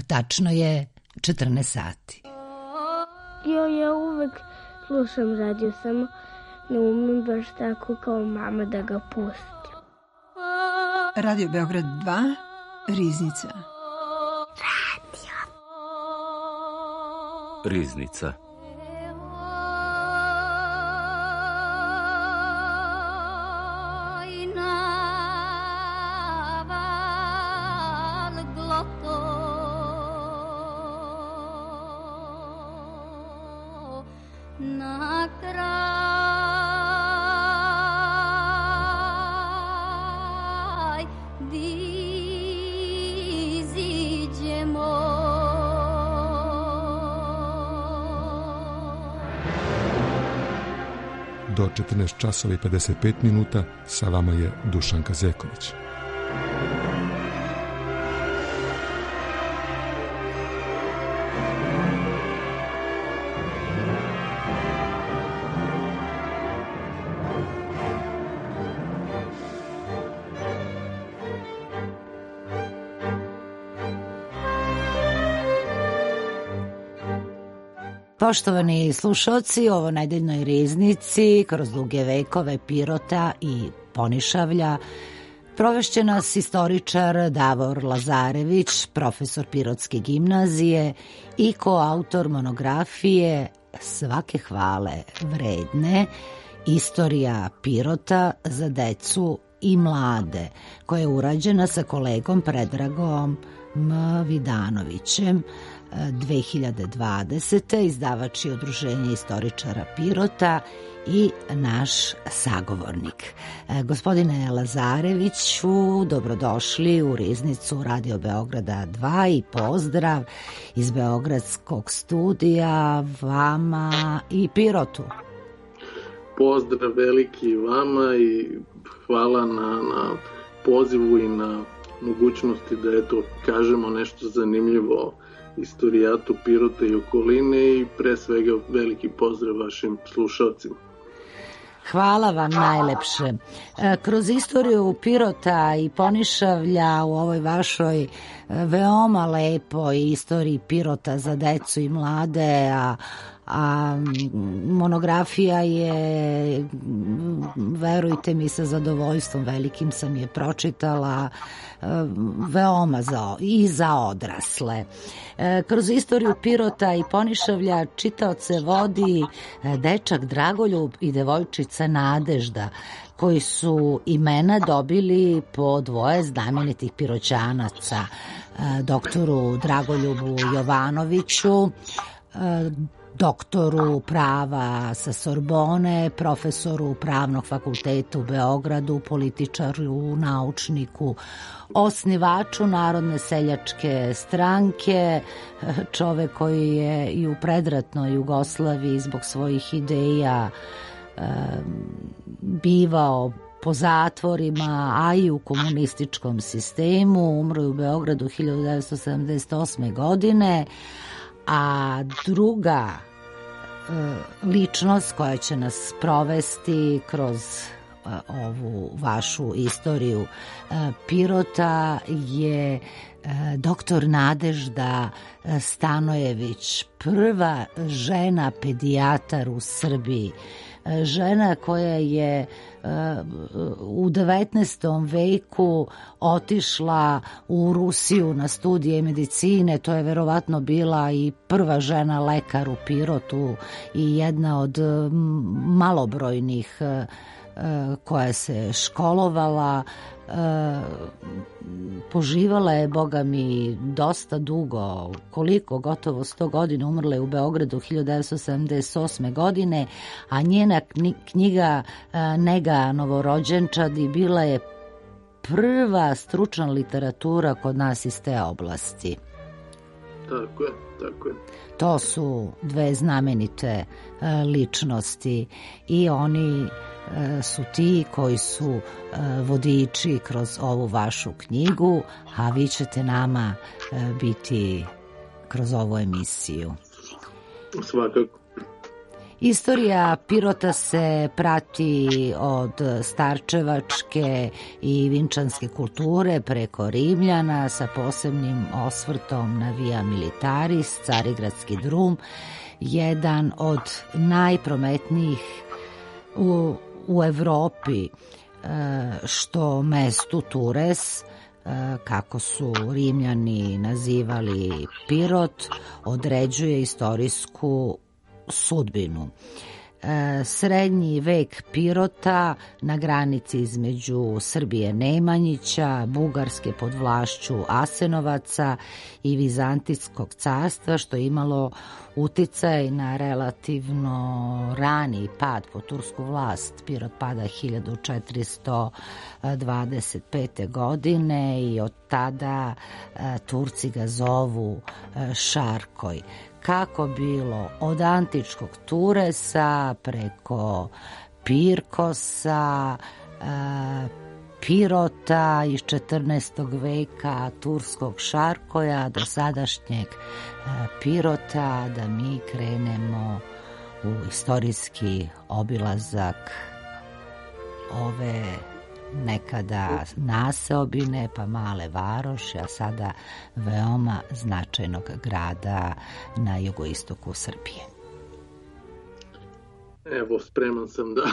Tačno je 14 sati. Ja uvek slušam radio, samo ne umem baš tako kao mama da ga pustim. Radio Beograd 2, Riznica. Riznica. Do 14 časova i 55 minuta sa vama je Dušanka Zeković. Poštovani slušalci, ovo nedeljnoj riznici kroz duge vekove Pirota i Ponišavlja provešće nas istoričar Davor Lazarević, profesor Pirotske gimnazije i koautor monografije Svake hvale vredne, Istorija Pirota za decu i mlade, koja je urađena sa kolegom Predragom M. Vidanovićem 2020. Izdavač je Udruženje istoričara Pirota i naš sagovornik. Gospodine Lazareviću, dobrodošli u Riznicu Radio Beograda 2 i pozdrav iz Beogradskog studija vama i Pirotu. Pozdrav veliki vama i hvala na pozivu i na mogućnosti da eto kažemo nešto zanimljivo istorijatu Pirota i okoline i pre svega veliki pozdrav vašim slušalcima. Hvala vam najlepše. Kroz istoriju Pirota i Ponišavlja u ovoj vašoj veoma lepoj istoriji Pirota za decu i mlade, a monografija je, verujte mi, sa zadovoljstvom velikim sam je pročitala, veoma za odrasle. Kroz istoriju Pirota i Ponišavlja čitaoce vodi dečak Dragoljub i devojčica Nadežda, koji su imena dobili po dvoje znamenitih Piroćanaca, doktoru Dragoljubu Jovanoviću, doktoru prava sa Sorbone, profesoru Pravnog fakulteta u Beogradu, političaru, naučniku, osnivaču Narodne seljačke stranke, čovek koji je i u predratnoj Jugoslaviji zbog svojih ideja bivao po zatvorima, a i u komunističkom sistemu. Umro je u Beogradu 1978. godine, a druga ličnost koja će nas provesti kroz ovu vašu istoriju Pirota je doktor Nadežda Stanojević, prva žena pedijatar u Srbiji, žena koja je u 19. veku otišla u Rusiju na studije medicine. To je verovatno bila i prva žena lekar u Pirotu i jedna od malobrojnih koja se školovala. Poživala je, boga mi, dosta dugo, koliko, gotovo 100 godina. Umrla je u Beogradu 1978. godine, a njena knjiga Nega novorođenčadi bila je prva stručna literatura kod nas iz te oblasti. Tako je, tako je. To su dve znamenite ličnosti i oni su ti koji su vodiči kroz ovu vašu knjigu, a vi ćete nama biti kroz ovu emisiju. Svakako. Istorija Pirota se prati od starčevačke i vinčanske kulture preko Rimljana sa posebnim osvrtom na Via Militaris, Carigradski drum, jedan od najprometnijih u Evropi, što mestu Tures, kako su Rimljani nazivali Pirot, određuje istorijsku sudbinu. Srednji vek Pirota na granici između Srbije Nemanjića, Bugarske pod vlašću Asenovaca i Vizantijskog carstva, što je imalo uticaj na relativno rani pad po tursku vlast. Pirot pada 1425. godine i od tada Turci ga zovu Šarkoj. Kako bilo od antičkog Turesa preko Pirkosa, Pirota iz 14. veka, turskog Šarkoja do sadašnjeg Pirota, da mi krenemo u istorijski obilazak ove nekada naseobine pa male varoši, a sada veoma značajnog grada na jugoistoku Srbije. Evo, spreman sam da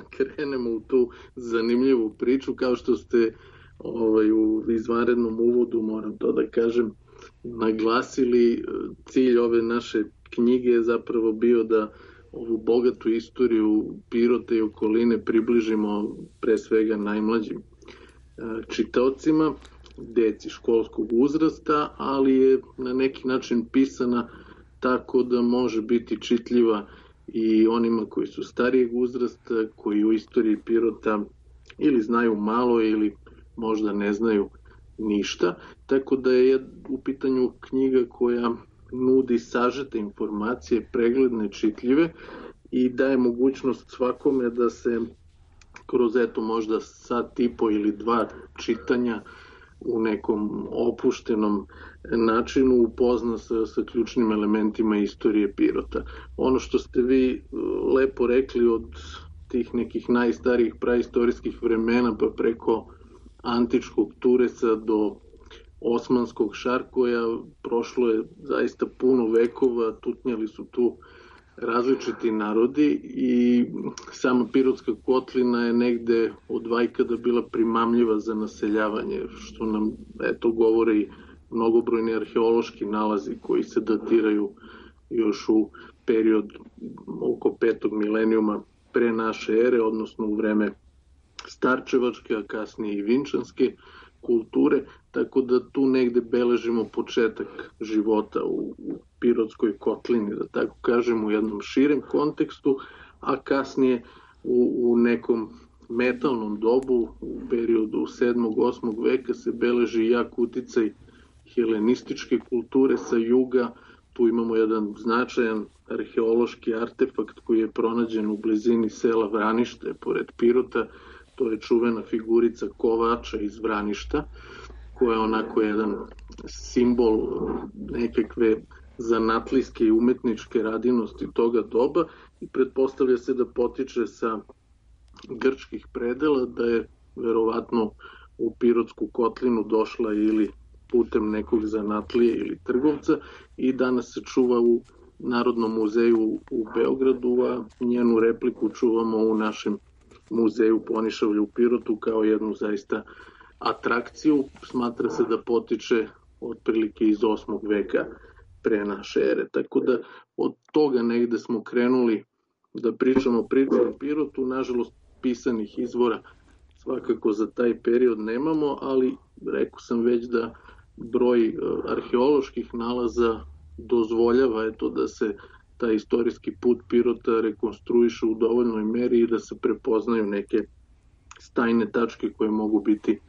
krenemo u tu zanimljivu priču. Kao što ste u izvanrednom uvodu, moram to da kažem, naglasili, cilj ove naše knjige je zapravo bio da ovu bogatu istoriju Pirota i okoline približimo pre svega najmlađim čitaocima, deci školskog uzrasta, ali je na neki način pisana tako da može biti čitljiva i onima koji su starijeg uzrasta, koji u istoriji Pirota ili znaju malo ili možda ne znaju ništa. Tako da je u pitanju knjiga koja nudi sažete informacije, pregledne, čitljive i daje mogućnost svakome da se kroz možda sat i po ili dva čitanja u nekom opuštenom načinu upozna sa ključnim elementima istorije Pirota. Ono što ste vi lepo rekli od tih nekih najstarijih praistorijskih vremena pa preko antičkog Turesa do osmanskog Šarkoja, prošlo je zaista puno vekova, tutnjali su tu različiti narodi i sama Pirotska kotlina je negde od vajkada bila primamljiva za naseljavanje, što nam govore i mnogobrojni arheološki nalazi koji se datiraju još u period oko 5. milenijuma pre naše ere, odnosno u vreme starčevačke, a kasnije i vinčanske kulture, tako da tu negde beležimo početak života u Pirotskoj kotlini, da tako kažem, u jednom širem kontekstu, a kasnije u nekom metalnom dobu, u periodu 7. 8. veka se beleži jak uticaj helenističke kulture sa juga. Tu imamo jedan značajan arheološki artefakt koji je pronađen u blizini sela Vranište, pored Pirota. To je čuvena figurica kovača iz Vraništa, koja je onako jedan simbol nekakve zanatlijske i umetničke radinosti toga doba i pretpostavlja se da potiče sa grčkih predela, da je verovatno u Pirotsku kotlinu došla ili putem nekog zanatlije ili trgovca i danas se čuva u Narodnom muzeju u Beogradu, a njenu repliku čuvamo u našem muzeju Ponišavlja u Pirotu kao jednu zaista atrakciju. Smatra se da potiče otprilike iz 8. veka pre naše ere. Tako da od toga negde smo krenuli da pričamo priču o Pirotu. Nažalost, pisanih izvora svakako za taj period nemamo, ali rekao sam već da broj arheoloških nalaza dozvoljava da se taj istorijski put Pirota rekonstruiše u dovoljnoj meri i da se prepoznaju neke stajne tačke koje mogu biti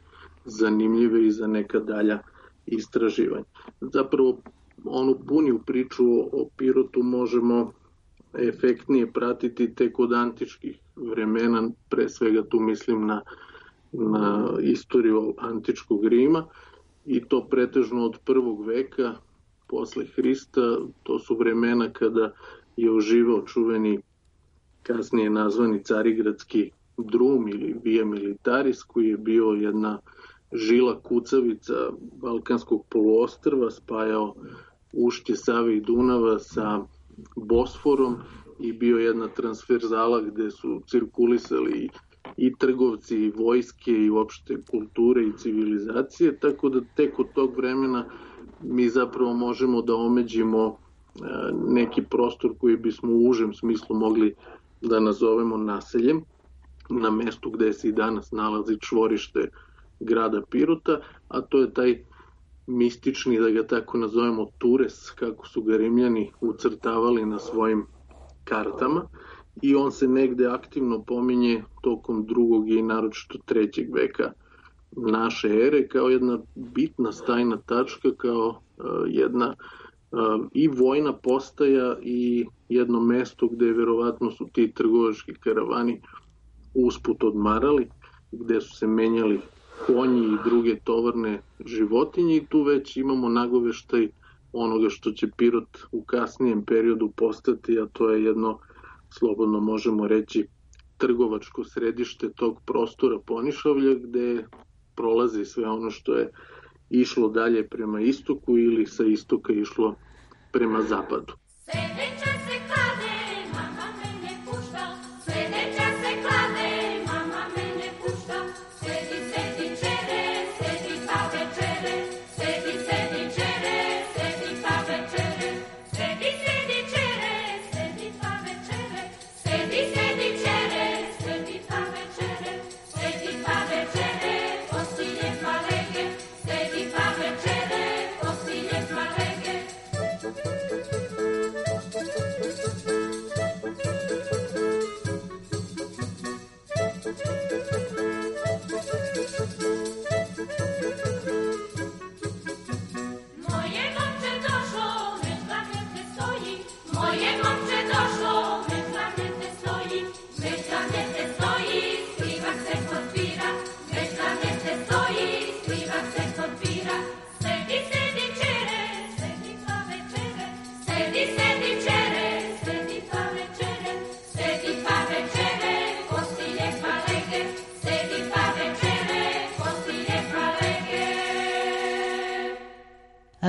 zanimljive i za neka dalja istraživanja. Zapravo, onu puniju priču o Pirotu možemo efektnije pratiti tek od antičkih vremena, pre svega tu mislim na istoriju antičkog Rima, i to pretežno od 1. veka posle Hrista. To su vremena kada je oživao čuveni kasnije nazvani Carigradski drum ili Via Militaris, koji je bio jedna žila kucavica Balkanskog poluostrva, spajao ušće Save i Dunava sa Bosforom i bio jedna transverzala gde su cirkulisali i trgovci, i vojske, i uopšte kulture i civilizacije, tako da tek od tog vremena mi zapravo možemo da omeđimo neki prostor koji bismo u užem smislu mogli da nazovemo naseljem, na mestu gde se i danas nalazi čvorište grada Pirota, a to je taj mistični, da ga tako nazovemo, Tures, kako su ga Rimljani ucrtavali na svojim kartama, i on se negde aktivno pominje tokom 2. i naročito 3. veka naše ere kao jedna bitna stajna tačka, kao jedna i vojna postaja i jedno mesto gde verovatno su ti trgovački karavani usput odmarali, gde su se menjali konji i druge tovarne životinje, i tu već imamo nagoveštaj onoga što će Pirot u kasnijem periodu postati, a to je jedno, slobodno možemo reći, trgovačko središte tog prostora Ponišavlja, gde prolazi sve ono što je išlo dalje prema istoku ili sa istoka išlo prema zapadu.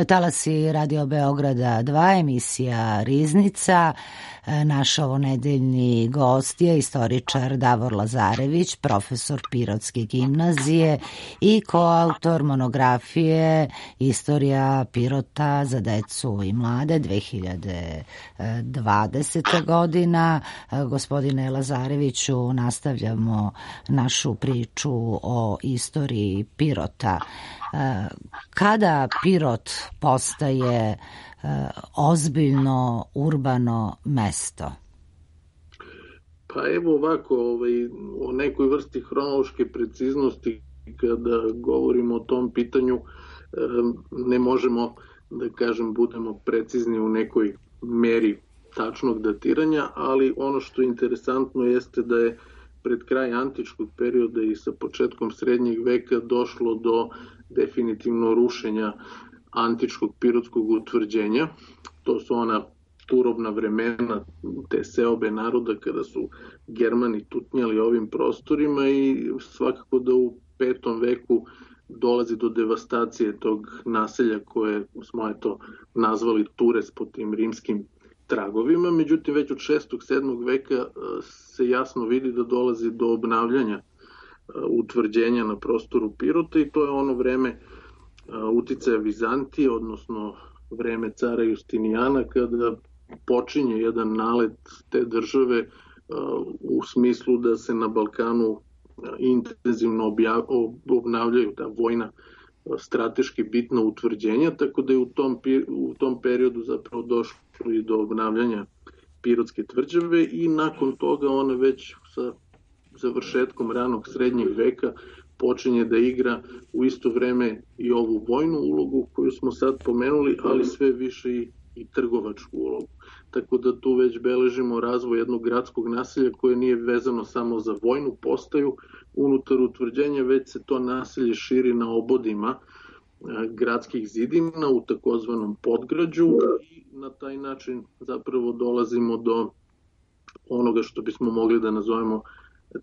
Talasi Radio Beograda 2, emisija Riznica. Naš ovonedeljni gost je istoričar Davor Lazarević, profesor Pirotske gimnazije i koautor monografije Istorija Pirota za decu i mlade 2020. godina. Gospodine Lazareviću, nastavljamo našu priču o istoriji Pirota. Kada Pirot postaje ozbiljno urbano mesto? Pa evo ovako, o nekoj vrsti hronološke preciznosti kada govorimo o tom pitanju ne možemo, da kažem, budemo precizni u nekoj meri tačnog datiranja, ali ono što je interesantno jeste da je pred kraj antičkog perioda i sa početkom srednjeg veka došlo do definitivno rušenja antičkog pirotskog utvrđenja. To su ona turobna vremena, te seobe naroda kada su Germani tutnjali ovim prostorima, i svakako da u 5. veku dolazi do devastacije tog naselja koje smo nazvali Tures po tim rimskim tragovima. Međutim, već od 6. 7. veka se jasno vidi da dolazi do obnavljanja utvrđenja na prostoru Pirota, i to je ono vreme uticaja Vizantije, odnosno vreme cara Justinijana, kada počinje jedan nalet te države u smislu da se na Balkanu intenzivno obnavljaju ta vojna strateški bitna utvrđenja, tako da je u tom periodu zapravo došlo i do obnavljanja Pirotske tvrđave, i nakon toga ona već sa završetkom ranog srednjeg veka počinje da igra u isto vreme i ovu vojnu ulogu koju smo sad pomenuli, ali sve više i trgovačku ulogu. Tako da tu već beležimo razvoj jednog gradskog naselja koje nije vezano samo za vojnu postaju unutar utvrđenja, već se to naselje širi na obodima gradskih zidina u takozvanom podgrađu, i na taj način zapravo dolazimo do onoga što bismo mogli da nazovemo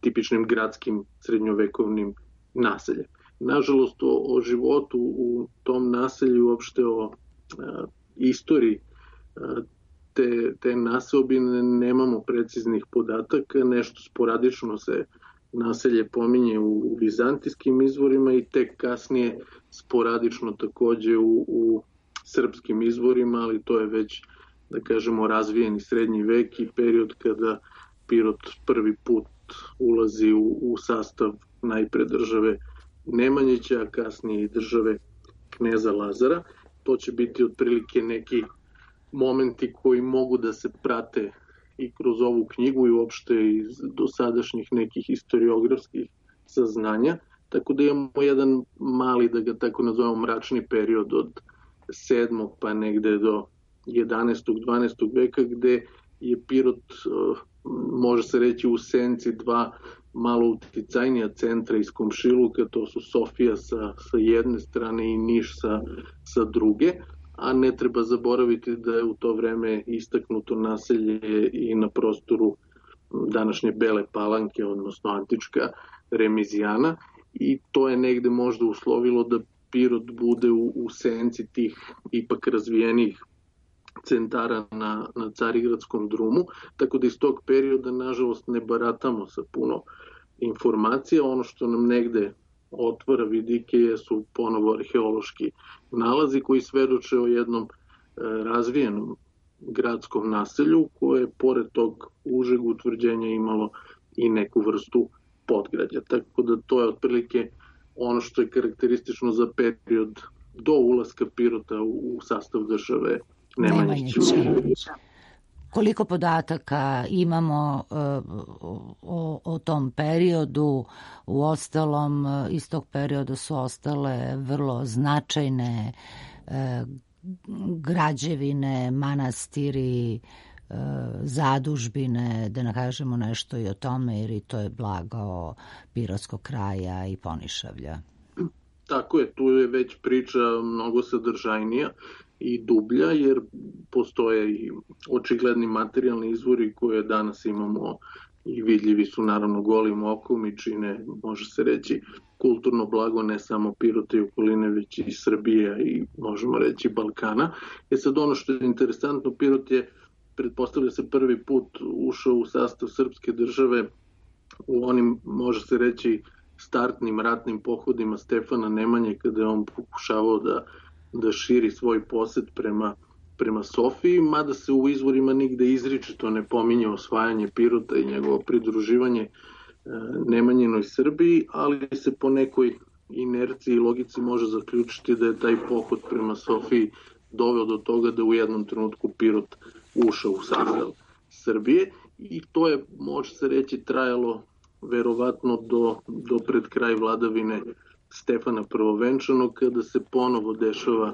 tipičnim gradskim srednjovekovnim naseljem. Nažalost, o životu u tom naselju, uopšte o istoriji te naseobine nemamo preciznih podataka. Nešto sporadično se naselje pominje u vizantijskim izvorima i tek kasnije sporadično takođe u srpskim izvorima, ali to je već, da kažemo, razvijeni srednji vek i period kada Pirot prvi put ulazi u sastav najpre države Nemanjića, a kasnije i države kneza Lazara. To će biti otprilike neki momenti koji mogu da se prate i kroz ovu knjigu i uopšte iz dosadašnjih nekih historiografskih saznanja. Tako da imamo jedan mali, da ga tako nazovemo, mračni period od 7. pa negde do 11. 12. veka, gde je Pirot, može se reći, u senci dva malo uticajnija centra iz komšiluka, to su Sofija sa jedne strane i Niš sa druge, a ne treba zaboraviti da je u to vreme istaknuto naselje i na prostoru današnje Bele Palanke, odnosno antička Remizijana, i to je negde možda uslovilo da Pirot bude u senci tih ipak razvijenih centara na Carigradskom drumu, tako da iz tog perioda nažalost ne baratamo sa puno informacija. Ono što nam negde otvara vidike su ponovo arheološki nalazi koji svedoče o jednom razvijenom gradskom naselju koje je pored tog užeg utvrđenja imalo i neku vrstu podgrađa. Tako da to je otprilike ono što je karakteristično za period do ulaska Pirota u sastav države Nemanjića. Koliko podataka imamo o tom periodu? U ostalom, iz tog perioda su ostale vrlo značajne građevine, manastiri, zadužbine, da ne kažemo nešto i o tome, jer i to je blago Pirotskog kraja i Ponišavlja. Tako je, tu je već priča mnogo sadržajnija i dublja, jer postoje i očigledni materijalni izvori koje danas imamo i vidljivi su naravno golim okom i čine, može se reći, kulturno blago ne samo Pirota i okoline, već i Srbije i možemo reći Balkana. Sad ono što je interesantno, Pirot je, pretpostavlja se, prvi put ušao u sastav srpske države u onim, može se reći, startnim ratnim pohodima Stefana Nemanje, kada je on pokušavao da širi svoj posed prema Sofiji, mada se u izvorima nigde izričito ne pominje osvajanje Pirota i njegovo pridruživanje Nemanjinoj Srbiji, ali se po nekoj inerciji i logici može zaključiti da je taj pohod prema Sofiji doveo do toga da u jednom trenutku Pirot ušao u sastav Srbije, i to je, može se reći, trajalo verovatno do pred kraj vladavine Stefana Prvovenčanog, kada se ponovo dešava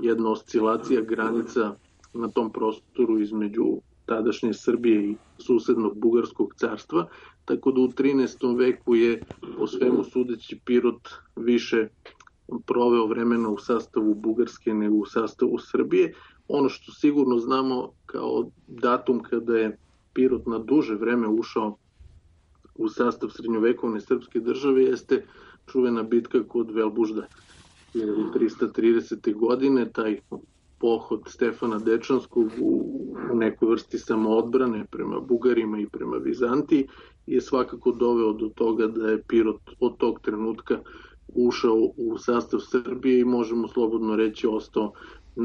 jedna oscilacija granica na tom prostoru između tadašnje Srbije i susednog Bugarskog carstva, tako da u 13. veku je, po svemu sudeći, Pirot više proveo vremena u sastavu Bugarske nego u sastavu Srbije. Ono što sigurno znamo kao datum kada je Pirot na duže vreme ušao u sastav srednjovekovne srpske države jeste čuvena bitka kod Velbužda 1330. godine, taj pohod Stefana Dečanskog u nekoj vrsti samoodbrane prema Bugarima i prema Vizantiji je svakako doveo do toga da je Pirot od tog trenutka ušao u sastav Srbije i možemo slobodno reći ostao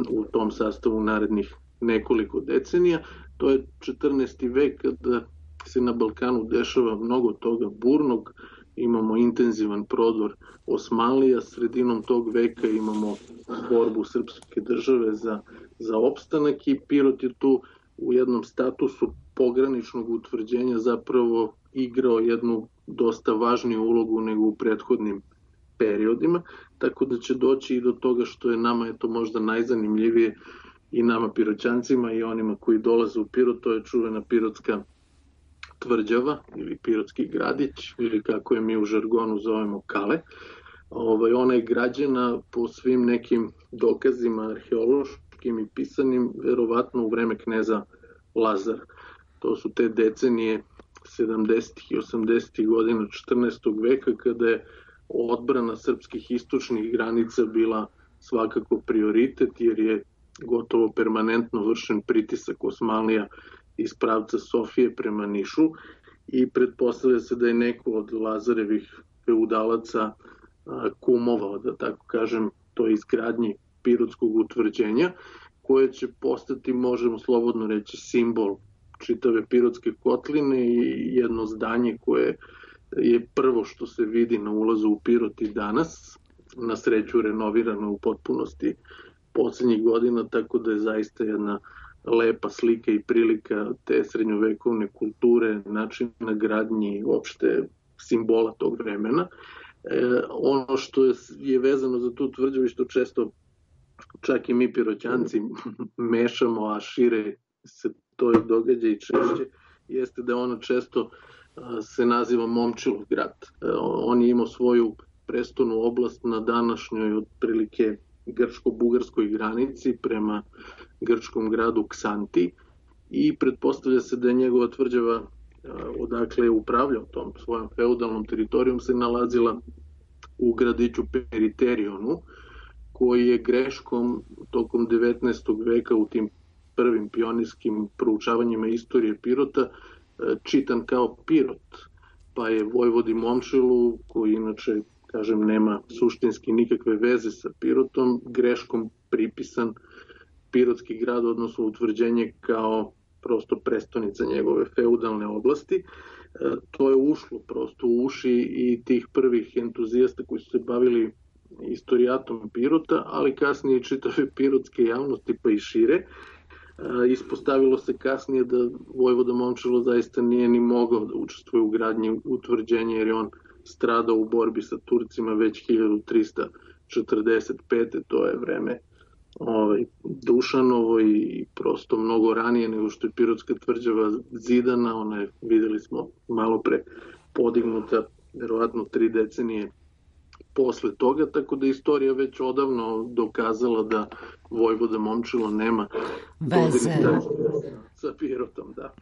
u tom sastavu narednih nekoliko decenija. To je 14. vek kada se na Balkanu dešava mnogo toga burnog, imamo intenzivan prodor Osmanlija, sredinom tog veka imamo borbu srpske države za opstanak i Pirot je tu u jednom statusu pograničnog utvrđenja zapravo igrao jednu dosta važniju ulogu nego u prethodnim periodima, tako da će doći i do toga što je nama je to možda najzanimljivije i nama Piroćancima i onima koji dolaze u Pirot, to je čuvena Pirotska tvrđava ili Pirotski gradić ili kako je mi u žargonu zovemo Kale. Ona je građena po svim nekim dokazima arheološkim i pisanim verovatno u vreme kneza Lazara. To su te decenije 70. i 80. godina 14. veka, kada je odbrana srpskih istočnih granica bila svakako prioritet, jer je gotovo permanentno vršen pritisak Osmanlija iz pravca Sofije prema Nišu i pretpostavlja se da je neko od Lazarevih feudalaca kumovao, da tako kažem, to izgradnji pirotskog utvrđenja, koje će postati, možemo slobodno reći, simbol čitave Pirotske kotline i jedno zdanje koje je prvo što se vidi na ulazu u Pirot i danas, na sreću renovirano u potpunosti poslednjih godina, tako da je zaista jedna lepa slika i prilika te srednjovekovne kulture, načina gradnji, uopšte simbola tog vremena. Ono što je vezano za tu tvrđavu i što često čak i mi Piroćanci mešamo, a šire se to događa i češće, jeste da ona često se naziva Momčilov grad. On je imao svoju prestolnu oblast na današnjoj otprilike grčko-bugarskoj granici prema grčkom gradu Ksanti i pretpostavlja se da je njegova tvrđava, odakle je upravljao tom svojom feudalnom teritorijom, se nalazila u gradiću Periterionu, koji je greškom tokom 19. veka u tim prvim pionirskim proučavanjima istorije Pirota čitan kao Pirot, pa je vojvodi Momčilu, koji inače, kažem, nema suštinski nikakve veze sa Pirotom, greškom pripisan Pirotski grad, odnosno utvrđenje kao prosto prestonica njegove feudalne oblasti. To je ušlo prosto u uši i tih prvih entuzijasta koji su se bavili istorijatom Pirota, ali kasnije i čitave pirotske javnosti, pa i šire. Ispostavilo se kasnije da vojvoda Momčilo zaista nije ni mogao da učestvuje u gradnji utvrđenja, jer je on stradao u borbi sa Turcima već 1345. To je vreme Dušanovo i prosto mnogo ranije nego što je Pirotska tvrđava zidana. Ona je, videli smo malo pre, podignuta verovatno 3 decenije posle toga, tako da istorija već odavno dokazala da vojvoda Momčilo nema veze sa Pirotom, da.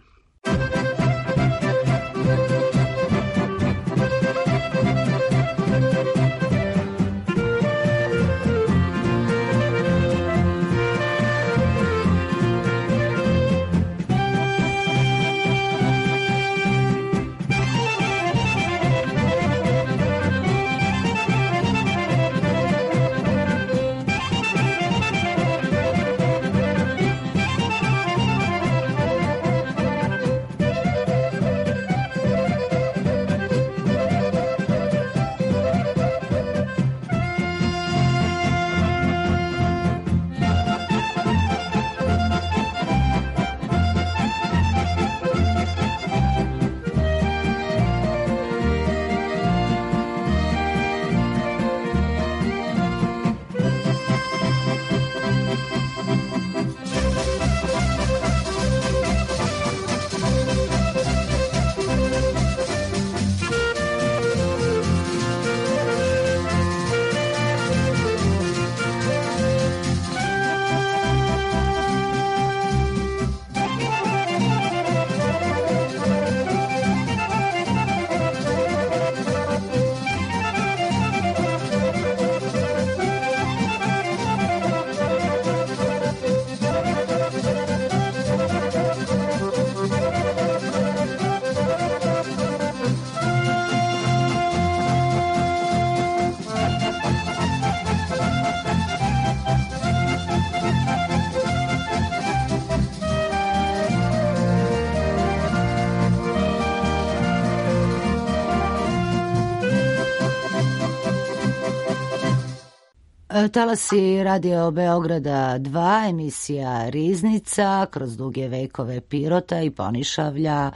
Talasi Radio Beograda 2, emisija Riznica kroz duge vekove Pirota i Ponišavlja.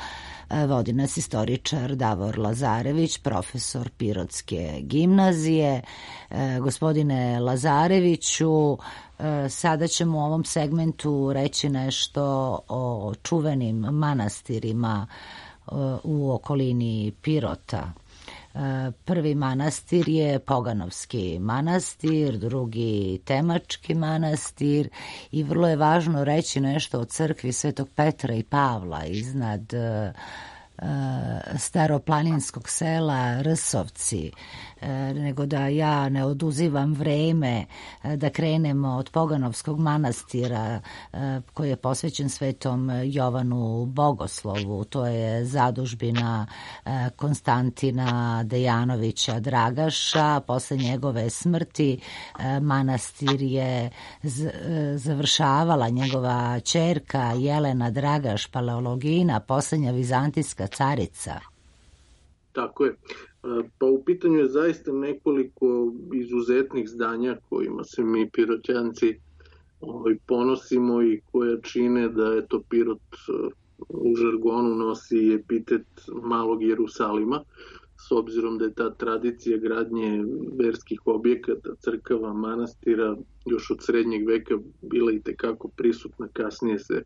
Vodi nas istoričar Davor Lazarević, profesor Pirotske gimnazije. Gospodine Lazareviću, sada ćemo u ovom segmentu reći nešto o čuvenim manastirima u okolini Pirota. Prvi manastir je Poganovski manastir, drugi Temački manastir i vrlo je važno reći nešto o crkvi Svetog Petra i Pavla iznad staroplaninskog sela Rsovci, nego da ja ne oduzivam vreme da krenemo od Poganovskog manastira koji je posvećen Svetom Jovanu Bogoslovu. To je zadužbina Konstantina Dejanovića Dragaša. Posle njegove smrti manastir je završavala njegova ćerka Jelena Dragaš Paleologina, posljednja vizantijska carica. Tako je. Pa u pitanju je zaista nekoliko izuzetnih zdanja kojima se mi Piroćanci ponosimo i koja čine da je to Pirot u žargonu nosi epitet malog Jerusalima, s obzirom da je ta tradicija gradnje verskih objekata, crkava, manastira još od srednjeg veka bila i tekako prisutna, kasnije se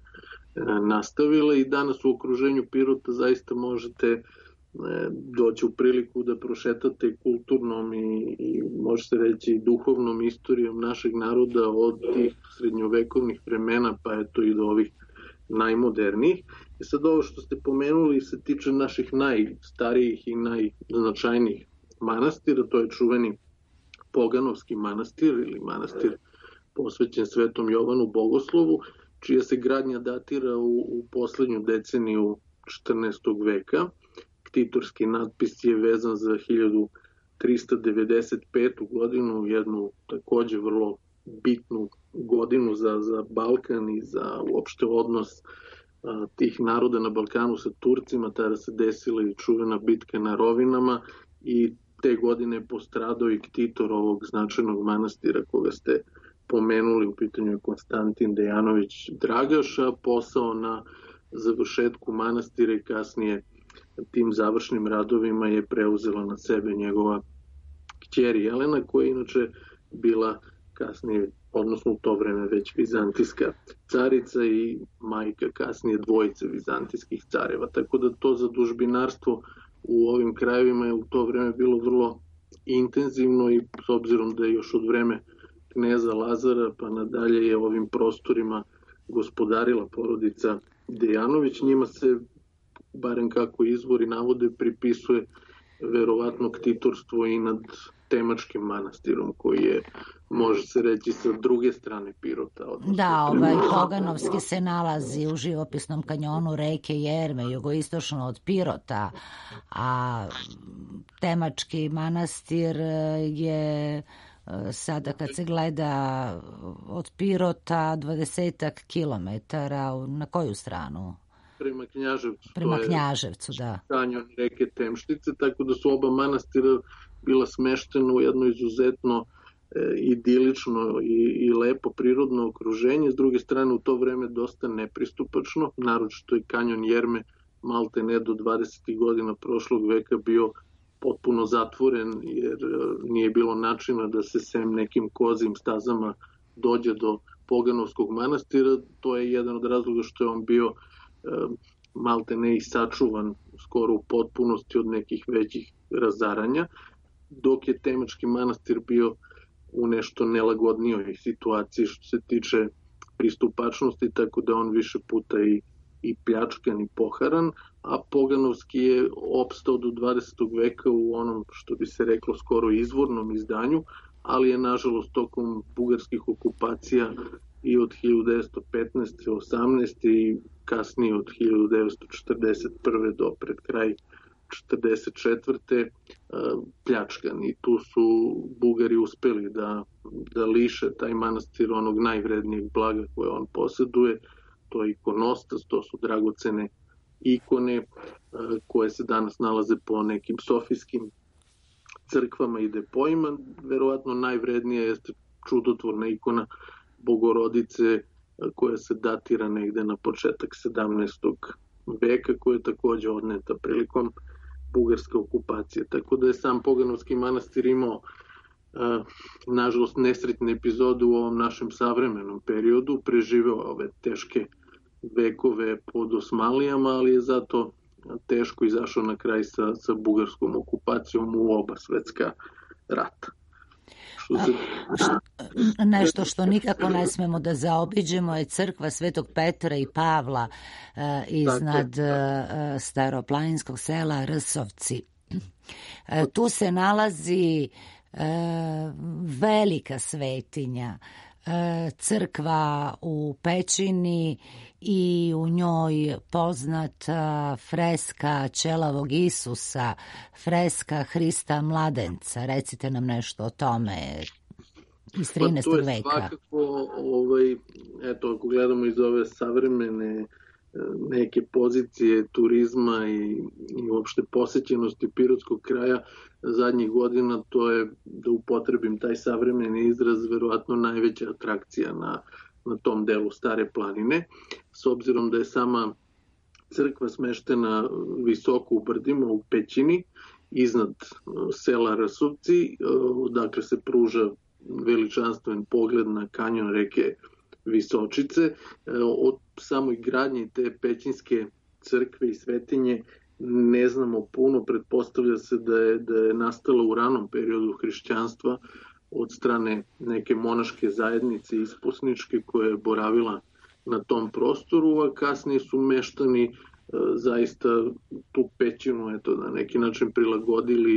nastavila i danas u okruženju Pirota zaista možete doći u priliku da prošetate kulturnom i može se reći duhovnom istorijom našeg naroda od tih srednjovekovnih vremena pa eto i do ovih najmodernijih. I sad ovo što ste pomenuli se tiče naših najstarijih i najznačajnijih manastira, to je čuveni Poganovski manastir ili manastir posvećen Svetom Jovanu Bogoslovu, čija se gradnja datira u poslednju deceniju 14. veka. Ktitorski natpis je vezan za 1395. godinu, jednu takođe vrlo bitnu godinu za Balkan i za uopšte odnos tih naroda na Balkanu sa Turcima. Tada se desila i čuvena bitka na Rovinama i te godine je postradao i ktitor ovog značajnog manastira koga ste pomenuli, u pitanju je Konstantin Dejanović Dragaš, a posao na završetku manastira i kasnije tim završnim radovima je preuzela na sebe njegova kćer Jelena, koja je inače bila kasnije, odnosno u to vreme već vizantijska carica i majka kasnije dvojice vizantijskih careva. Tako da to zadužbinarstvo u ovim krajevima je u to vreme bilo vrlo intenzivno i s obzirom da je još od vreme kneza Lazara pa nadalje je ovim prostorima gospodarila porodica Dejanović, njima se, barem kako izvori navode, pripisuje verovatno ktitorstvo i nad Temačkim manastirom, koji je, može se reći, sa druge strane Pirota. Da, Poganovski se nalazi u živopisnom kanjonu reke Jerme, jugoistočno od Pirota, a Temački manastir je sada kad se gleda od Pirota 20 kilometara, na koju stranu? Prema Knjaževcu. Prema Knjaževcu, da. Kanjon reke Temštice, tako da su oba manastira bila smeštena u jedno izuzetno idilično i lepo prirodno okruženje. S druge strane, u to vreme dosta nepristupačno, naročito i kanjon Jerme malte ne do 20. godina prošlog veka bio potpuno zatvoren, jer nije bilo načina da se sem nekim kozim stazama dođe do Poganovskog manastira. To je jedan od razloga što je on bio malte ne i sačuvan skoro u potpunosti od nekih većih razaranja, dok je Temački manastir bio u nešto nelagodnijoj situaciji što se tiče pristupačnosti, tako da on više puta i pljačkan i poharan, a Poganovski je opstao do 20. veka u onom, što bi se reklo, skoro izvornom izdanju, ali je nažalost tokom bugarskih okupacija i od 1915. 18. i kasnije od 1941. do pred kraj 1944. pljačkan i tu su Bugari uspeli da liše taj manastir onog najvrednijeg blaga koje on poseduje. To je ikonostas, to su dragocene ikone koje se danas nalaze po nekim sofijskim crkvama i depoima. Verovatno najvrednija jeste čudotvorna ikona Bogorodice koja se datira negde na početak 17. veka, koja je takođe odneta prilikom bugarske okupacije. Tako da je sam Poganovski manastir imao nažalost nesretne epizode u ovom našem savremenom periodu, preživeo ove teške vekove pod Osmanlijama, ali je zato teško izašao na kraj sa bugarskom okupacijom u oba svetska rata. Nešto što nikako ne smemo da zaobiđemo je crkva Svetog Petra i Pavla iznad staroplaninskog sela Rsovci. Tu se nalazi velika svetinja, crkva u pećini i u njoj poznata freska ćelavog Isusa, freska Hrista mladenca. Recite nam nešto o tome iz 13. veka. Svakako, eto, ako gledamo iz ove savremene neke pozicije turizma i uopšte posećenosti pirotskog kraja zadnjih godina, to je, da upotrebim taj savremeni izraz, verovatno najveća atrakcija na tom delu Stare planine, s obzirom da je sama crkva smeštena visoko u brdima, u pećini, iznad sela Rsovci, dakle se pruža veličanstven pogled na kanjon reke Visočice. Od samoj gradnje te pećinske crkve i svetinje ne znamo puno, pretpostavlja se da je nastala u ranom periodu hrišćanstva od strane neke monaške zajednice isposničke koja je boravila na tom prostoru, a kasnije su meštani zaista tu pećinu na neki način prilagodili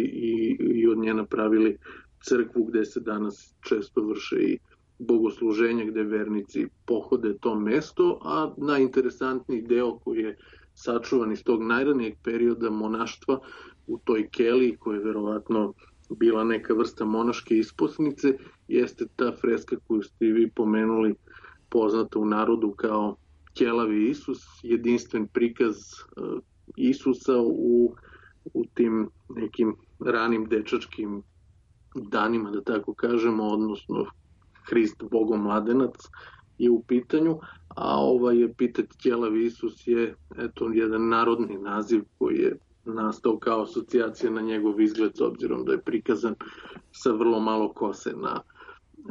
i od nje napravili crkvu gde se danas često vrše i bogosluženja, gde vernici pohode to mesto, a najinteresantniji deo koji je sačuvan iz tog najranijeg perioda monaštva u toj keliji, koja je verovatno bila neka vrsta monaške isposnice, jeste ta freska koju ste vi pomenuli, poznata u narodu kao Ćelavi Isus, jedinstven prikaz Isusa u tim nekim ranim dečačkim danima, da tako kažemo, odnosno Hrist Bogom mladenac je u pitanju, a epitet Ćelavi Isus je jedan narodni naziv koji je nastao kao asocijacija na njegov izgled, s obzirom da je prikazan sa vrlo malo kose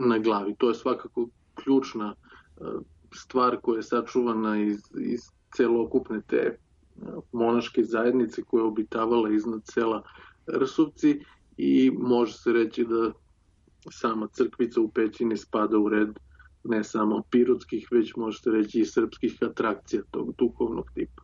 na glavi. To je svakako ključna stvar koja je sačuvana iz celokupne te monaške zajednice koja je obitavala iznad sela Rsovci i može se reći da sama crkvica u pećini spada u red ne samo pirotskih, već može se reći i srpskih atrakcija tog duhovnog tipa.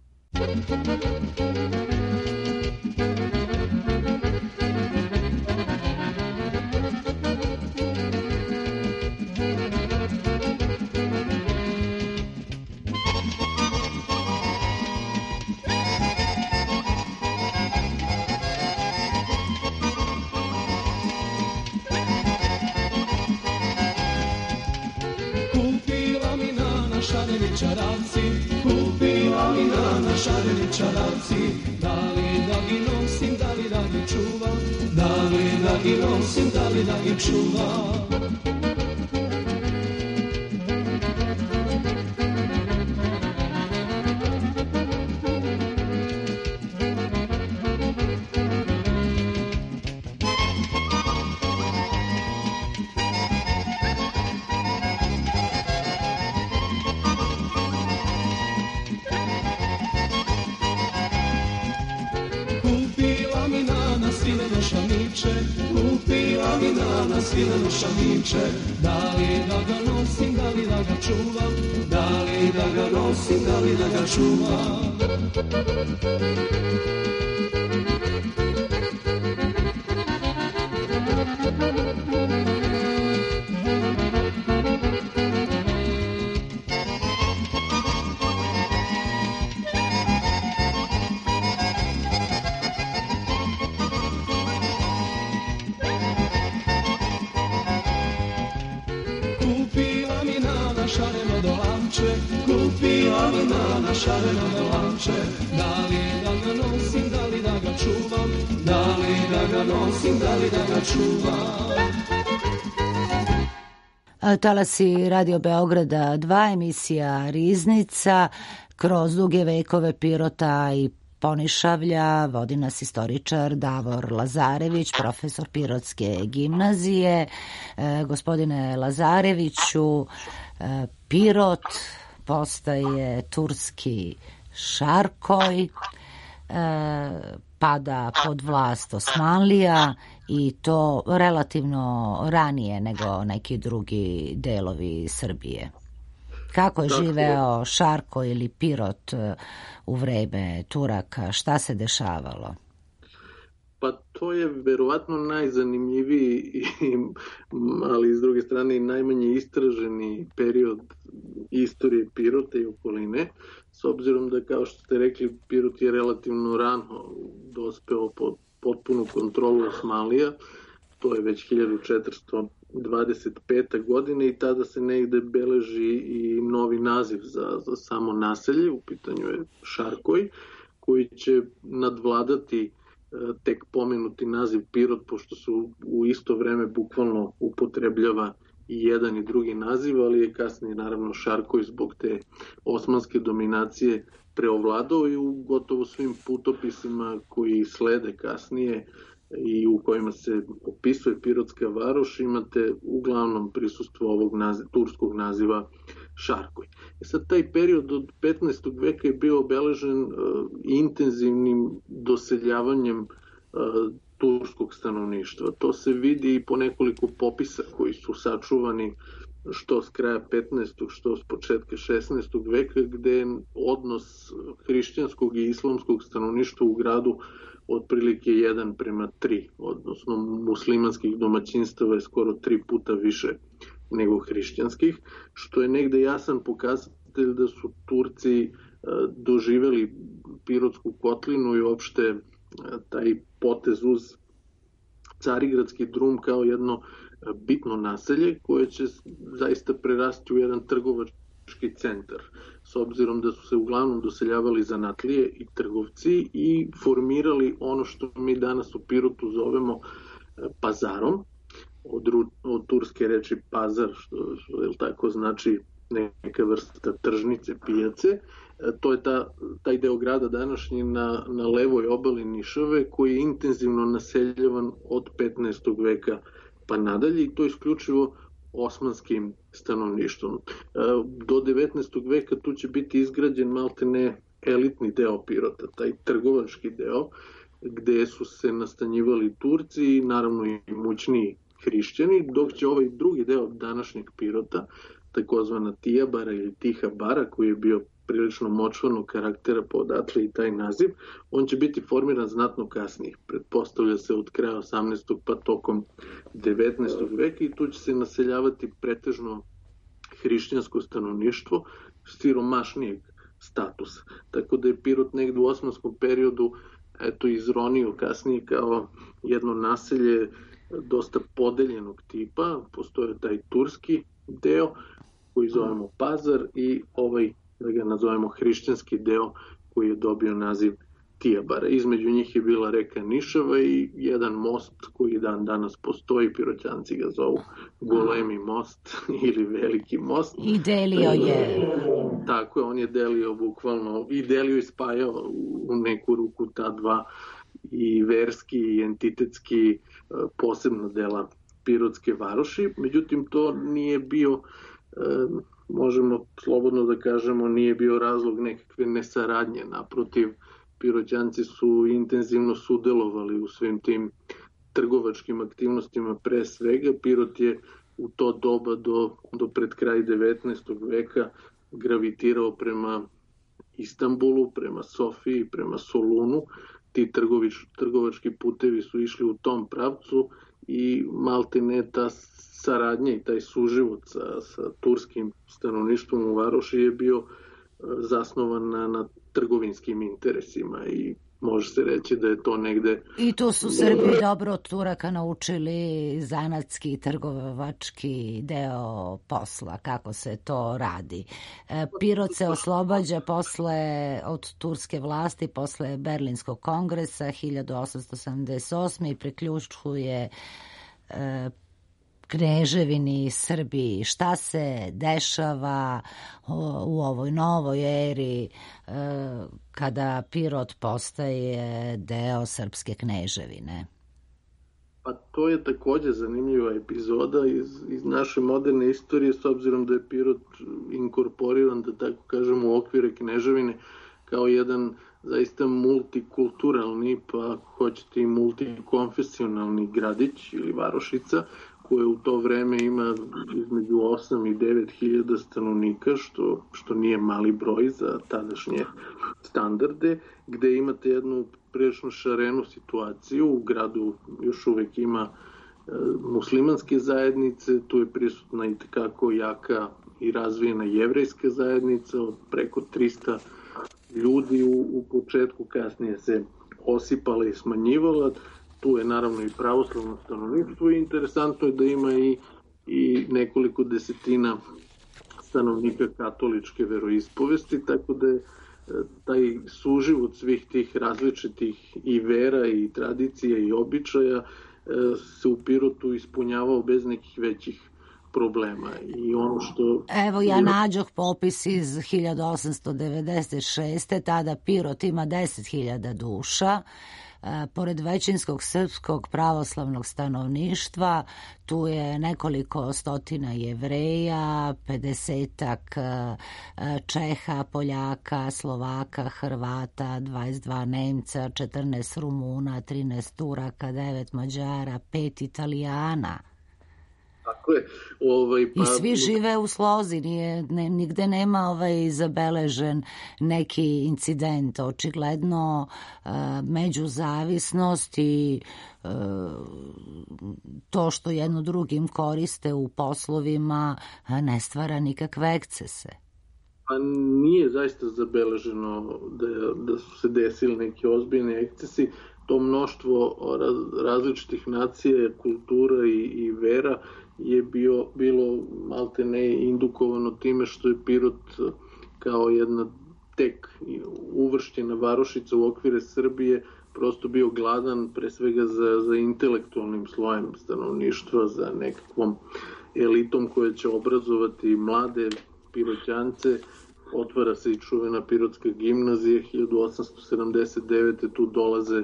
Čaravci, kupila mi na šareni čaravci, da li da gi nosim, da li da gi čuvam, da li da gi nosim, da li da gi čuvam. Kupila mi na svileno šamiće, da li da ga nosim, da li da ga čuvam, da li da ga nosim, da li da ga čuvam. Kupila mi na šareno dolanče, da li da ga nosim, da li da ga čuvam, da li da ga nosim, da li da ga čuvam. Talasi Radio Beograda 2, emisija Riznica, kroz duge vekove Pirota i Ponišavlja vodi nas istoričar Davor Lazarević, profesor Pirotske gimnazije. Gospodine Lazareviću, Pirot postaje turski Šarkoj, pada pod vlast Osmanlija i to relativno ranije nego neki drugi delovi Srbije. Kako je živeo Šarko ili Pirot u vreme Turaka? Šta se dešavalo? Pa to je verovatno najzanimljiviji, ali s druge strane i najmanje istraženi period istorije Pirota i okoline, s obzirom da, kao što ste rekli, Pirot je relativno rano dospeo pod potpunu kontrolu Osmanlija, to je već 1425. godine i tada se negde beleži i novi naziv za samo naselje, u pitanju je Šarkoj, koji će nadvladati tek pomenuti naziv Pirot, pošto se u isto vreme bukvalno upotrebljava i jedan i drugi naziv, ali je kasnije naravno Šarkoj zbog te osmanske dominacije preovladao i u gotovo svim putopisima koji slede kasnije i u kojima se opisuje Pirotska varoš imate uglavnom prisustvo ovog turskog naziva Šarkoj. Sad taj period od 15. veka je bio obeležen intenzivnim doseljavanjem turskog stanovništva. To se vidi i po nekoliko popisa koji su sačuvani što s kraja 15. što s početka 16. veka, gde je odnos hrišćanskog i islamskog stanovništva u gradu otprilike 1:3, odnosno muslimanskih domaćinstava je skoro 3 puta više nego hrišćanskih, što je negde jasan pokazatelj da su Turci doživeli Pirotsku kotlinu i uopšte taj potez uz Carigradski drum kao jedno bitno naselje koje će zaista prerasti u jedan trgovački centar, s obzirom da su se uglavnom doseljavali zanatlije i trgovci i formirali ono što mi danas u Pirotu zovemo pazarom, od turske reči pazar, što je tako znači neka vrsta tržnice, pijace. To je taj deo grada današnji na levoj obali Nišave koji je intenzivno naseljavan od 15. veka pa nadalje i to isključivo osmanskim stanovništvom. Do 19. veka tu će biti izgrađen maltene elitni deo Pirota, taj trgovački deo gde su se nastanjivali Turci i naravno i imućniji hrišćani, dok će ovaj drugi deo današnjeg Pirota, takozvana Tijabara ili Tiha bara, koji je bio prilično močvarnog karaktera, pa odatle i taj naziv, on će biti formiran znatno kasnije. Pretpostavlja se od kraja 18. pa tokom 19. veka i tu će se naseljavati pretežno hrišćansko stanovništvo siromašnijeg statusa. Tako da je Pirot negde u osmanskom periodu izronio kasnije kao jedno naselje dosta podeljenog tipa. Postoje taj turski deo koji zovemo pazar i ovaj, da ga nazovemo hrišćanski deo koji je dobio naziv Tijabara. Između njih je bila reka Nišava i jedan most koji dan danas postoji, Piroćanci ga zovu Golemi most ili Veliki most. I delio je. Tako je, on je delio bukvalno i delio i spajao u neku ruku ta dva i verski i entitetski posebno dela Pirotske varoši. Međutim, to nije bio, možemo slobodno da kažemo, nije bio razlog nekakve nesaradnje. Naprotiv, Piroćanci su intenzivno sudelovali u svim tim trgovačkim aktivnostima pre svega. Pirot je u to doba do pred kraj 19. veka gravitirao prema Istanbulu, prema Sofiji, prema Solunu. Ti trgovački putevi su išli u tom pravcu i maltene ta saradnja i taj suživot sa turskim stanovništvom u varoši je bio zasnovan na trgovinskim interesima i može se reći da je to negde... I tu su Srbi dobro od Turaka naučili zanatski i trgovački deo posla, kako se to radi. Pirot se oslobađa od turske vlasti, posle Berlinskog kongresa 1878. i priključuje Kneževini Srbiji. Šta se dešava u ovoj novoj eri kada Pirot postaje deo Srpske kneževine? Pa to je takođe zanimljiva epizoda iz naše moderne istorije, s obzirom da je Pirot inkorporiran, da tako kažemo, u okvire kneževine kao jedan zaista multikulturalni, pa ako hoćete i multikonfesionalni gradić ili varošica, koje u to vreme ima između 8 i 9 hiljada stanovnika, što nije mali broj za tadašnje standarde, gde imate jednu prilično šarenu situaciju. U gradu još uvek ima muslimanske zajednice, tu je prisutna i tekako jaka i razvijena jevrejska zajednica od preko 300 ljudi u početku, kasnije se osipala i smanjivala. Tu je naravno i pravoslavno stanovništvo i interesantno je da ima i nekoliko desetina stanovnika katoličke veroispovesti, tako da je taj suživot svih tih različitih i vera i tradicija i običaja se u Pirotu ispunjavao bez nekih većih problema. I ono što... Evo ja nađoh popis iz 1896. Tada Pirot ima 10.000 duša. Pored većinskog srpskog pravoslavnog stanovništva, tu je nekoliko stotina Jevreja, 50-ak Čeha, Poljaka, Slovaka, Hrvata, 22 Nemca, 14 Rumuna, 13 Turaka, 9 Mađara, 5 Italijana. Tako je. I svi žive u slozi, nigde nema zabeležen neki incident. Očigledno međuzavisnost i to što jedno drugim koriste u poslovima ne stvara nikakve ekscese. Pa nije zaista zabeleženo da su se desili neki ozbiljni ekscesi. To mnoštvo različitih nacija, kultura i vera je bilo maltene indukovano time što je Pirot kao jedna tek uvršćena varošica u okvire Srbije prosto bio gladan pre svega za intelektualnim slojem stanovništva, za nekakvom elitom koja će obrazovati mlade Piroćance. Otvara se i čuvena Pirotska gimnazija 1879. Tu dolaze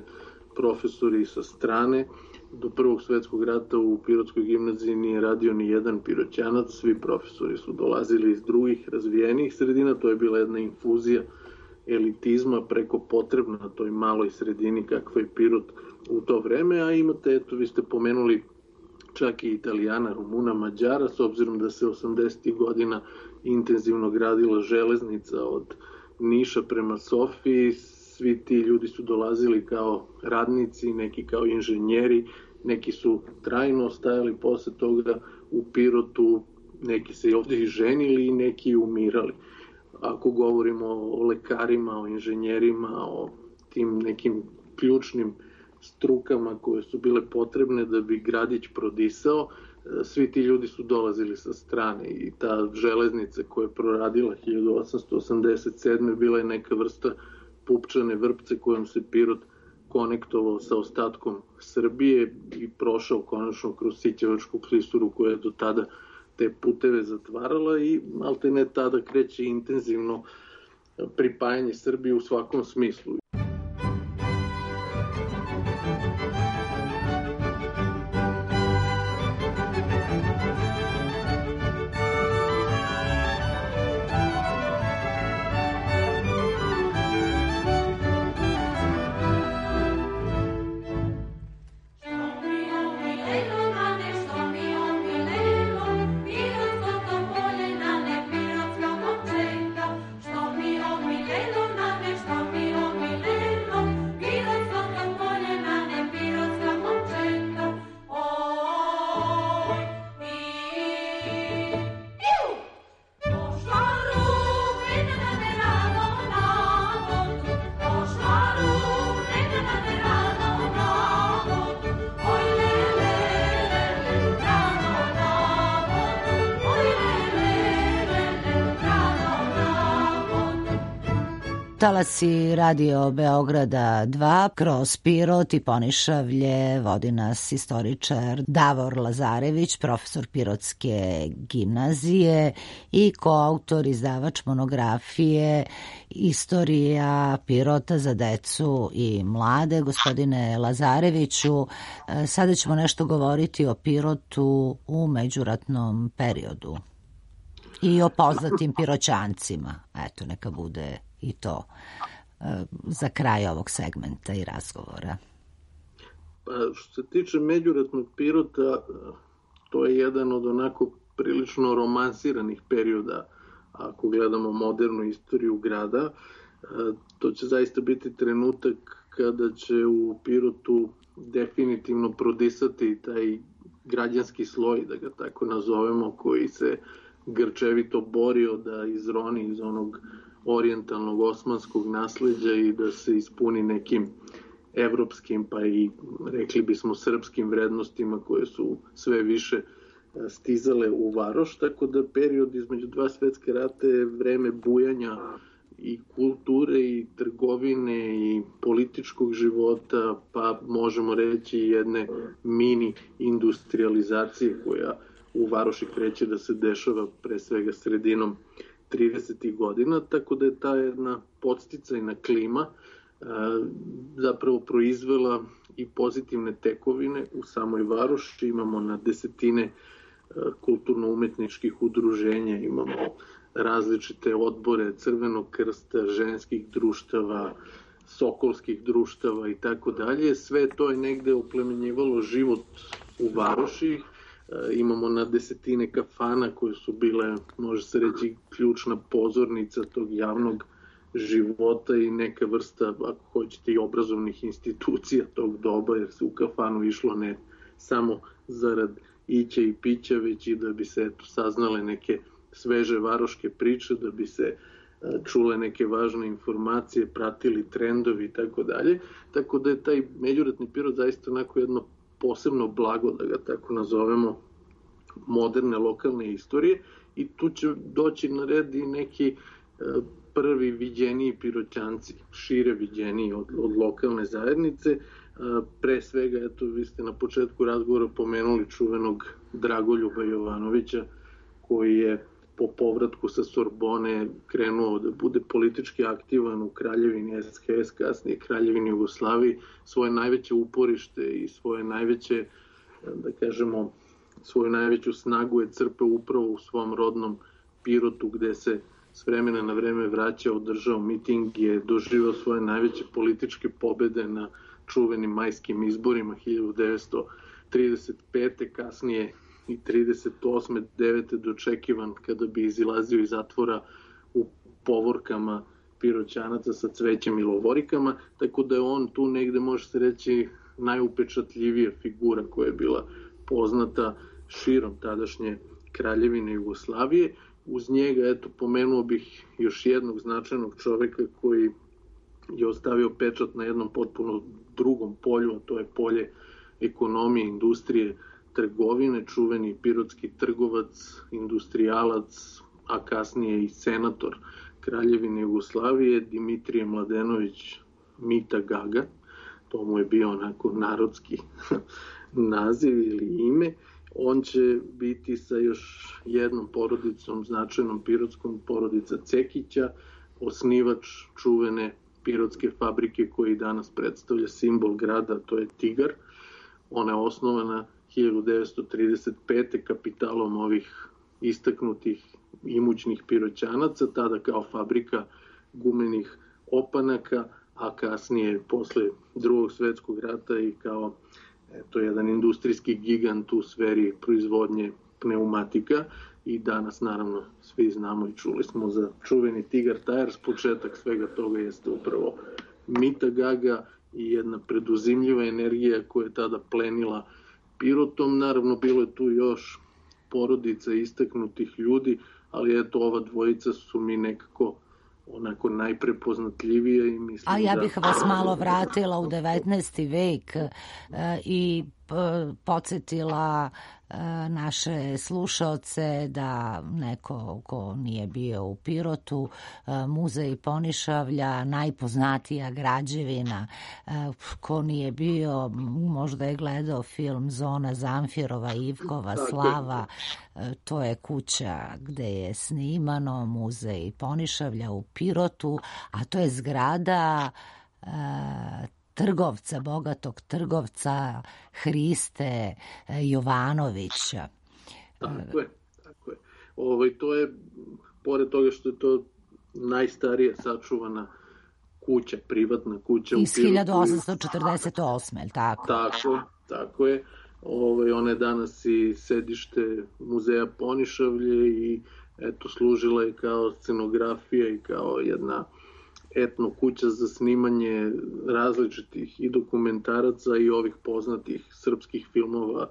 profesori sa strane. Do Prvog svetskog rata u Pirotskoj gimnaziji nije radio ni jedan Piroćanac, svi profesori su dolazili iz drugih razvijenijih sredina, to je bila jedna infuzija elitizma preko potrebna na toj maloj sredini kakva je Pirot u to vreme, a imate, eto, vi ste pomenuli čak i Italijana, Rumuna, Mađara, s obzirom da se 80. godina intenzivno gradila železnica od Niša prema Sofiji. Svi ti ljudi su dolazili kao radnici, neki kao inženjeri, neki su trajno ostajali posle toga u Pirotu, neki se i ovdje i ženili i neki umirali. Ako govorimo o lekarima, o inženjerima, o tim nekim ključnim strukama koje su bile potrebne da bi gradić prodisao, svi ti ljudi su dolazili sa strane i ta železnica koja je proradila 1887. bila je neka vrsta pupčane vrpce kojom se Pirot konektovao sa ostatkom Srbije i prošao konačno kroz Sićevačku klisuru koja je do tada te puteve zatvarala i maltene tada kreće intenzivno pripajanje Srbije u svakom smislu. Talasi Radio Beograda 2 kroz Pirot i Ponišavlje vodi nas istoričar Davor Lazarević, profesor Pirotske gimnazije i koautor, izdavač monografije Istorija Pirota za decu i mlade. Gospodine Lazareviću, sada ćemo nešto govoriti o Pirotu u međuratnom periodu i o poznatim Piroćancima. Eto, neka bude i to. za kraj ovog segmenta i razgovora. Pa, što se tiče Međuratnog Pirota, to je jedan od onako prilično romansiranih perioda, ako gledamo modernu istoriju grada. To će zaista biti trenutak kada će u Pirotu definitivno prodisati taj građanski sloj, da ga tako nazovemo, koji se grčevito borio da izroni iz onog orijentalnog osmanskog nasleđa i da se ispuni nekim evropskim, pa i rekli bismo srpskim vrednostima koje su sve više stizale u varoš, tako da period između dva svetske rata je vreme bujanja i kulture i trgovine i političkog života, pa možemo reći jedne mini industrializacije koja u varoši kreće da se dešava pre svega sredinom 30. godina, tako da je ta jedna podsticajna klima zapravo proizvela i pozitivne tekovine u samoj varoši. Imamo na desetine kulturno-umetničkih udruženja, imamo različite odbore Crvenog krsta, ženskih društava, sokolskih društava i tako dalje. Sve to je negde oplemenjivalo život u varoši. Imamo na desetine kafana koje su bile, može se reći, ključna pozornica tog javnog života i neka vrsta, ako hoćete, i obrazovnih institucija tog doba, jer se u kafanu išlo ne samo zarad ića i pića, već i da bi se saznale neke sveže varoške priče, da bi se čule neke važne informacije, pratili trendovi i tako dalje. Tako da je taj Međuratni Pirot zaista onako jedno posebno blago, da ga tako nazovemo, moderne lokalne istorije, i tu će doći na red i neki prvi viđeniji Piroćanci, šire viđeniji od lokalne zajednice. Pre svega, eto, vi ste na početku razgovora pomenuli čuvenog Dragoljuba Jovanovića, koji je po povratku sa Sorbone krenuo da bude politički aktivan u Kraljevini SHS, kasnije Kraljevini Jugoslaviji. Svoje najveće uporište i svoje najveće, da kažemo, svoju najveću snagu je crpeo upravo u svom rodnom Pirotu, gde se s vremena na vreme vraćao, održao miting, je doživao svoje najveće političke pobede na čuvenim majskim izborima 1935. kasnije i 38. 9. dočekivan kada bi izilazio iz zatvora u povorkama Piroćanaca sa cvećem i lovorikama, tako da je on tu negde, može se reći, najupečatljivija figura koja je bila poznata širom tadašnje Kraljevine Jugoslavije. Uz njega, eto, pomenuo bih još jednog značajnog čoveka koji je ostavio pečat na jednom potpuno drugom polju, a to je polje ekonomije, industrije, trgovine, čuveni pirotski trgovac, industrijalac, a kasnije i senator Kraljevine Jugoslavije, Dimitrije Mladenović Mita Gaga. To mu je bio onako narodski naziv ili ime. On će biti sa još jednom porodicom, značajnom pirotskom, porodica Cekića, osnivač čuvene pirotske fabrike koji danas predstavlja simbol grada, to je Tigar. Ona je osnovana 1935. kapitalom ovih istaknutih imućnih Piroćanaca, tada kao fabrika gumenih opanaka, a kasnije posle Drugog svetskog rata i kao jedan industrijski gigant u sferi proizvodnje pneumatika. I danas, naravno, svi znamo i čuli smo za čuveni Tigar Tires. Početak svega toga jeste upravo Mita Gaga i jedna preduzimljiva energija koja je tada plenila Pirotom. Naravno, bilo je tu još porodica istaknutih ljudi, ali eto, ova dvojica su mi nekako onako najprepoznatljivije i mislim. A ja bih vas malo vratila u 19. vek i podsjetila naše slušaoce da neko ko nije bio u Pirotu, muzej Ponišavlja, najpoznatija građevina, ko nije bio, možda je gledao film Zona Zamfirova, Ivkova slava, to je kuća gde je snimano, muzej Ponišavlja u Pirotu, a to je zgrada trgovca, bogatog trgovca Hriste Jovanovića. Tako je. To je, pored toga što je to najstarija sačuvana kuća, privatna kuća. Iz 1848, je li tako? Tako je. Ona je danas i sedište muzeja Ponišavlje i eto, služila je kao scenografija i kao jedna etno kuća za snimanje različitih i dokumentaraca i ovih poznatih srpskih filmova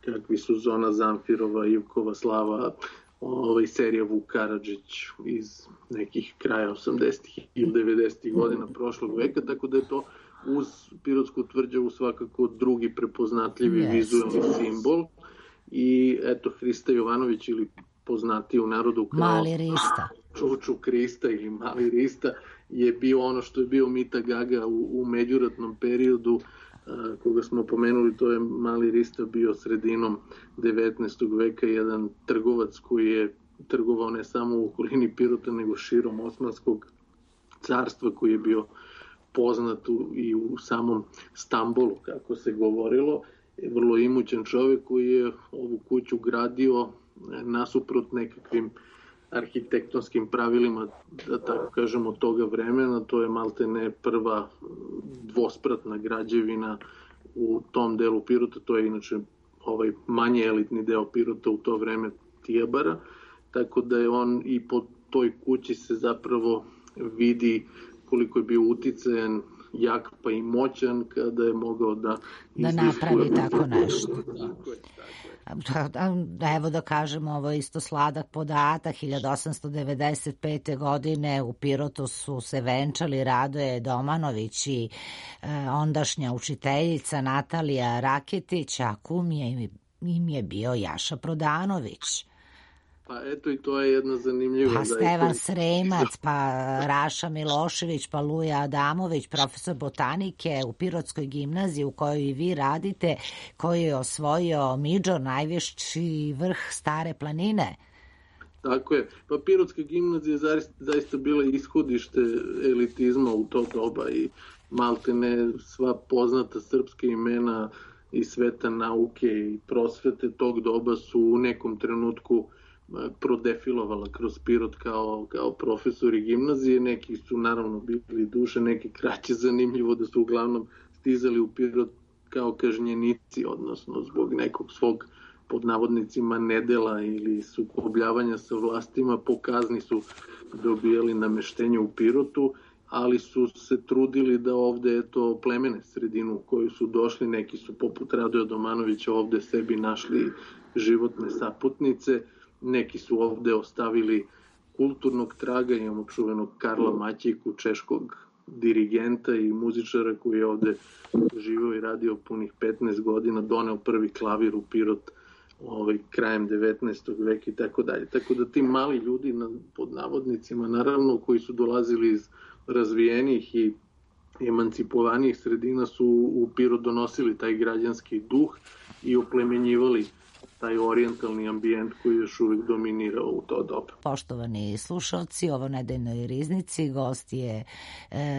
kakvi su Zona Zamfirova, Ivkova slava, serija Vuk Karadžić iz nekih kraja 80. ili 90. godina prošlog veka, tako da je to uz Pirotsku tvrđavu svakako drugi prepoznatljivi vizualni simbol. I eto, Hrista Jovanović, ili poznatiji u narodu kao Mali Rista, Čuču Krista ili Mali Rista, je bio ono što je bio Mita Gaga u međuratnom periodu, koga smo pomenuli. To je Mali Rista bio sredinom 19. veka, jedan trgovac koji je trgovao ne samo u okolini Pirota, nego širom Osmanskog carstva, koji je bio poznat i u samom Stambolu, kako se govorilo. Vrlo imućan čovjek koji je ovu kuću gradio nasuprot nekakvim arhitektonskim pravilima, da tako kažemo, toga vremena. To je maltene prva dvospratna građevina u tom delu Pirota. To je inače manje elitni deo Pirota u to vreme, Tijabara, tako da je on i po toj kući se zapravo vidi koliko je bio uticajan, jak pa i moćan kada je mogao da napravi tako nešto. Tako je. Evo da kažemo, ovo je isto sladak podatak. 1895. godine u Pirotu su se venčali Radoje Domanović i ondašnja učiteljica Natalija Raketić, a kum im je bio Jaša Prodanović. Pa eto, i to je jedna zanimljiva... Pa Stevan Sremac, pa Raša Milošević, pa Luja Adamović, profesor botanike u Pirotskoj gimnaziji u kojoj i vi radite, koji je osvojio Midžor, najviši vrh Stare planine. Tako je. Pa Pirotska gimnazija je zaista bila ishodište elitizma u to doba i maltene sva poznata srpska imena i sveta nauke i prosvete tog doba su u nekom trenutku prodefilovala kroz Pirot kao profesori gimnazije. Neki su naravno bili duže, neki kraće. Zanimljivo da su uglavnom stizali u Pirot kao kažnjenici, odnosno zbog nekog svog, pod navodnicima, nedela ili sukobljavanja sa vlastima. Po kazni su dobijali nameštenje u Pirotu, ali su se trudili da ovde plemene sredinu u koju su došli. Neki su poput Radoja Domanovića ovde sebi našli životne saputnice, neki su ovde ostavili kulturnog traga. Imamo čuvenog Karla Maćejku, češkog dirigenta i muzičara koji je ovde živeo i radio punih 15 godina, doneo prvi klavir u Pirot krajem 19. veka i tako dalje. Tako da ti mali ljudi, pod navodnicima naravno, koji su dolazili iz razvijenih i emancipovanijih sredina, su u Pirot donosili taj građanski duh i oplemenjivali taj orijentalni ambijent koji još uvijek dominirao u to doba. Poštovani slušalci, ovo nedeljnoj riznici gost je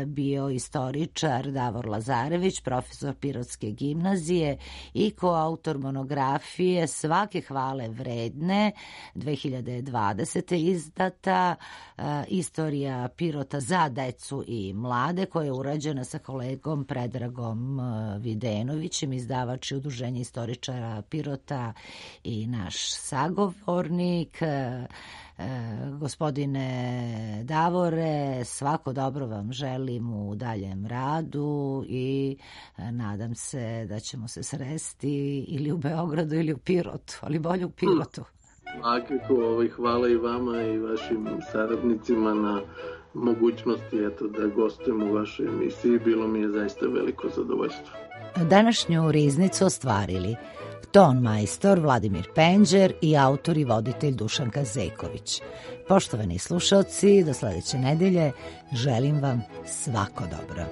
bio istoričar Davor Lazarević, profesor Pirotske gimnazije i koautor monografije Svake hvale vredne 2020. izdata Istorija Pirota za decu i mlade, koja je urađena sa kolegom Predragom Videnovićem, izdavač i Udruženje istoričara Pirota i naš sagovornik. Gospodine Davore, svako dobro vam želim u daljem radu i nadam se da ćemo se sresti ili u Beogradu ili u Pirotu, ali bolje u Pirotu. Svakako, hvala i vama i vašim saradnicima na mogućnosti da gostujem u vašoj emisiji. Bilo mi je zaista veliko zadovoljstvo. Današnju riznicu ostvarili ton majstor Vladimir Penđer i autor i voditelj Dušanka Zeković. Poštovani slušalci, do sledeće nedelje želim vam svako dobro.